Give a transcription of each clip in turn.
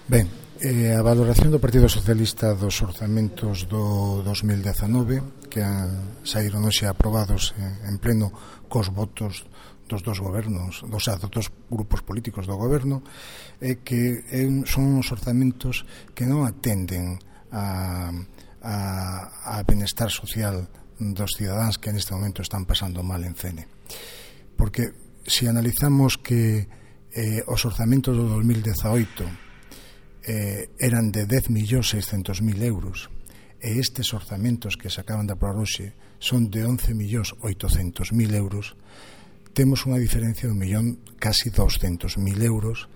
Ben, a valoración do Partido Socialista dos orzamentos do 2019 que saíron hoxe aprobados en pleno cos votos dos dos gobernos, dos dos grupos políticos do goberno, é que son os orzamentos que non atenden a benestar social dos cidadáns que neste momento están pasando mal en Fene. Porque se analizamos que os orzamentos do 2018 eran de 10.600.000 euros e estes orzamentos que se acaban de aprobar hoxe son de 11.800.000 euros, temos unha diferencia de casi 200.000 euros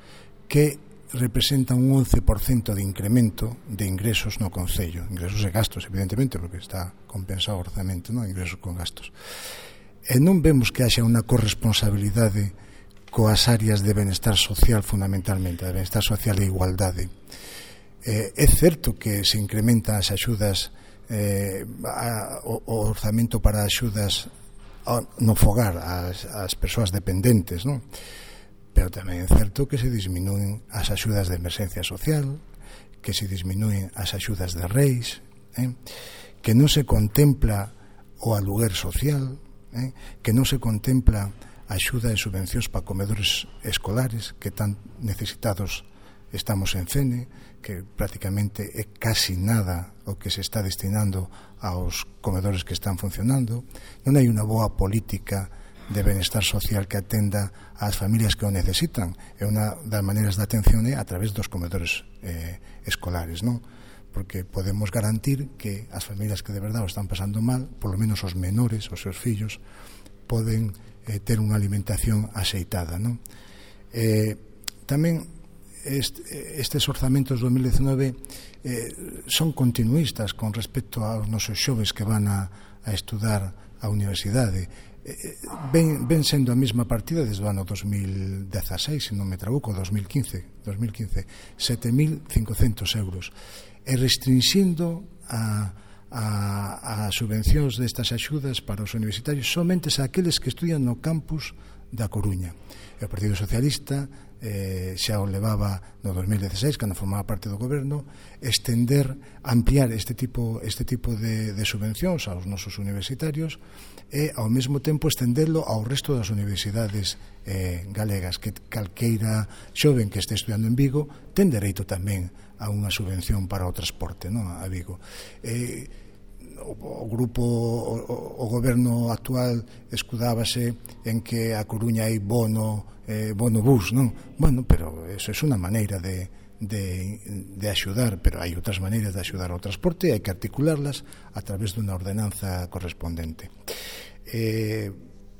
que representa un 11% de incremento de ingresos no Concello, ingresos e gastos, evidentemente, porque está compensado o orzamento, non? Ingresos con gastos. E non vemos que haxa unha corresponsabilidade coas áreas de benestar social, fundamentalmente, de benestar social e igualdade. É certo que se incrementan as axudas, o orzamento para axudas no fogar ás persoas dependentes, non? Pero tamén é certo que se disminúen as axudas de emerxencia social, que se disminúen as axudas de reis, que non se contempla o aluguer social, que non se contempla axuda e subvencións para comedores escolares que tan necesitados estamos en Fene, que prácticamente é casi nada o que se está destinando aos comedores que están funcionando. Non hai unha boa política de benestar social que atenda ás familias que o necesitan, e unha das maneiras de atención é a través dos comedores escolares, non? Porque podemos garantir que as familias que de verdade o están pasando mal, polo menos os menores, os seus fillos, poden ter unha alimentación axeitada, non? Tamén estes orzamentos do 2019 son continuistas con respecto aos nosos xoves que van a estudar á universidade. Ven sendo a mesma partida desde o ano 2016, se non me trabuco, 2015, 7.500 euros, e restringindo as subvencións destas axudas para os universitarios somente a aqueles que estudian no campus da Coruña. E o Partido Socialista xa o levaba no 2016, cando formaba parte do goberno, ampliar este tipo de subvencións aos nosos universitarios e ao mesmo tempo estendelo ao resto das universidades galegas, que calqueira xoven que este estudiando en Vigo ten dereito tamén a unha subvención para o transporte, non, a Vigo. O goberno actual escudábase en que a Coruña hai bono bus, non? Bueno, pero eso é unha maneira de axudar, pero hai outras maneiras de axudar ao transporte e hai que articularlas a través dunha ordenanza correspondente.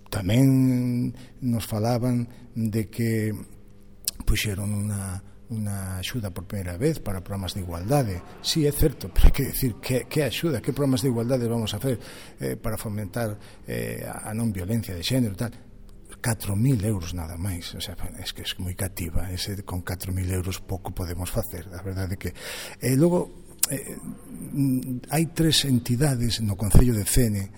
Tamén nos falaban de que puxeron unha axuda por primeira vez para programas de igualdade. Sí, é certo, pero hai que decir que axuda, que programas de igualdade vamos a hacer para fomentar a non violencia de xénero e tal. 4.000 euros nada máis, o sea, é que é moi cativa, con 4.000 euros pouco podemos facer, a verdade que logo hai 3 entidades no Concello de Fene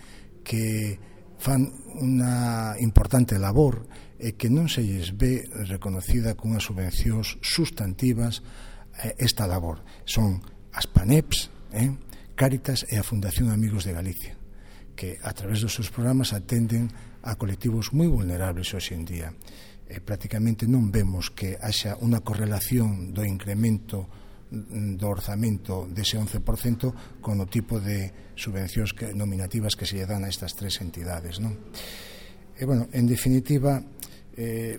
que fan unha importante labor e que non se lles ve reconocida cunhas subvencións sustantivas esta labor. Son as PANEPs, Cáritas e a Fundación Amigos de Galicia, que a través dos seus programas atenden a colectivos moi vulnerables hoxe en día. Prácticamente non vemos que haxa unha correlación do incremento do orzamento dese 11% con o tipo de subvencións nominativas que se lle dan a estas 3 entidades, non? E, bueno, en definitiva,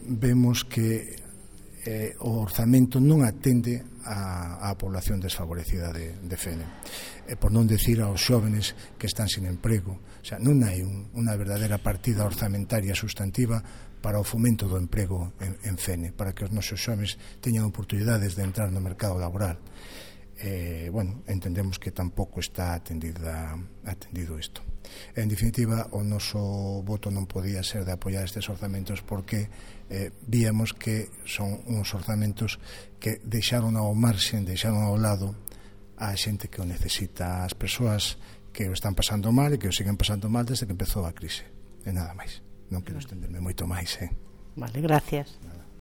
vemos que o orzamento non atende á población desfavorecida de Fene, por non decir aos xóvenes que están sin emprego. O sea, non hai unha verdadeira partida orzamentaria sustantiva para o fomento do emprego en Fene, para que os nosos xóvenes teñan oportunidades de entrar no mercado laboral. Bueno, entendemos que tampouco está atendido isto. En definitiva, o noso voto non podía ser de apoiar estes orzamentos porque víamos que son uns orzamentos que deixaron ao marxen, deixaron ao lado a xente que o necesita, as persoas que o están pasando mal e que o siguen pasando mal desde que empezou a crise. E nada máis. Non quero estenderme moito máis. Vale, gracias.